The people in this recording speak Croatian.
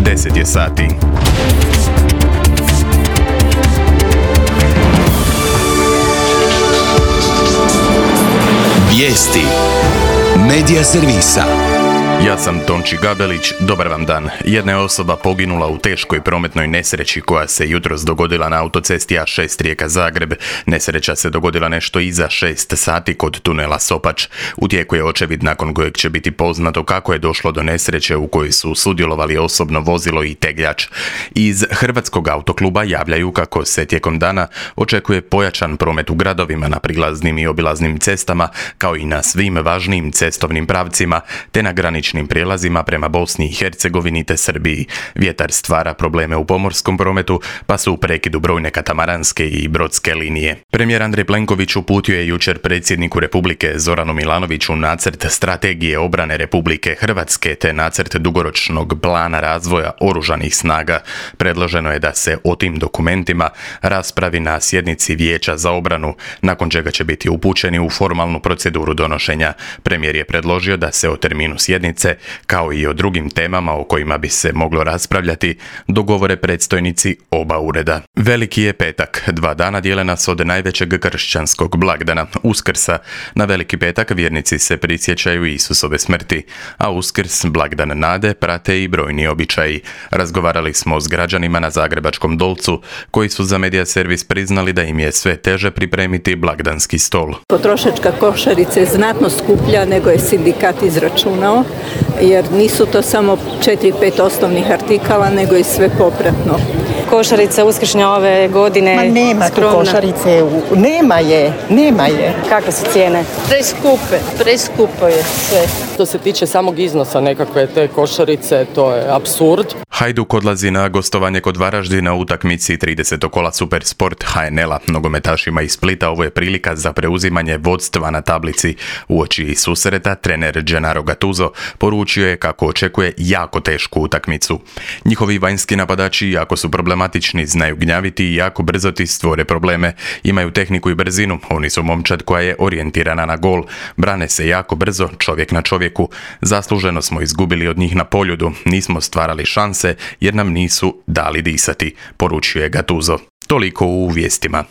10 je sati. Vijesti Medija servisa. Ja sam Tonči Gabelić, dobar vam dan. Jedna je osoba poginula u teškoj prometnoj nesreći koja se jutros dogodila na autocesti A6 Rijeka-Zagreb. Nesreća se dogodila nešto iza 6 sati kod tunela Sopač. U tijeku je očevid nakon kojeg će biti poznato kako je došlo do nesreće u kojoj su sudjelovali osobno vozilo i tegljač. Iz Hrvatskog autokluba javljaju kako se tijekom dana očekuje pojačan promet u gradovima na prilaznim i obilaznim cestama, kao i na svim važnijim cestovnim pravcima, te na graničnim prijelazima prema Bosni i Hercegovini te Srbiji. Vjetar stvara probleme u pomorskom prometu, pa su u prekidu brojne katamaranske i brodske linije. Premijer Andrej Plenković uputio je jučer predsjedniku Republike Zoranu Milanoviću nacrt strategije obrane Republike Hrvatske te nacrt dugoročnog plana razvoja oružanih snaga. Predloženo je da se o tim dokumentima raspravi na sjednici Vijeća za obranu, nakon čega će biti upućeni u formalnu proceduru donošenja. Premijer je predložio da se o terminu sjednice, kao i o drugim temama o kojima bi se moglo raspravljati, dogovore predstojnici oba ureda. Veliki je petak. 2 dana dijele nas od najvećeg kršćanskog blagdana, Uskrsa. Na Veliki petak vjernici se prisjećaju Isusove smrti, a Uskrs, blagdan nade, prate i brojni običaji. Razgovarali smo s građanima na Zagrebačkom Dolcu, koji su za Medija servis priznali da im je sve teže pripremiti blagdanski stol. Potrošačka košarica je znatno skuplja nego je sindikat izračunao, jer nisu to samo 4-5 osnovnih artikala, nego i sve popratno. Košarica uskršnja ove godine. Ma nema tu košarice, nema je. Kakve su cijene? Preskupo je sve. Što se tiče samog iznosa nekakve te košarice, to je apsurd. Hajduk odlazi na gostovanje kod Varaždina u utakmici 30. kola Supersport HNL-a. Nogometašima iz Splita ovo je prilika za preuzimanje vodstva na tablici. Uoči susreta trener Gennaro Gattuso poručio je kako očekuje jako tešku utakmicu. Njihovi vanjski napadači jako su problematični, znaju gnjaviti i jako brzo ti stvore probleme. Imaju tehniku i brzinu, oni su momčad koja je orijentirana na gol. Brane se jako brzo, čovjek na čovjeku. Zasluženo smo izgubili od njih na Poljudu, nismo stvarali šanse jer nam nisu dali disati, poručio je Gattuso. Toliko u vijestima.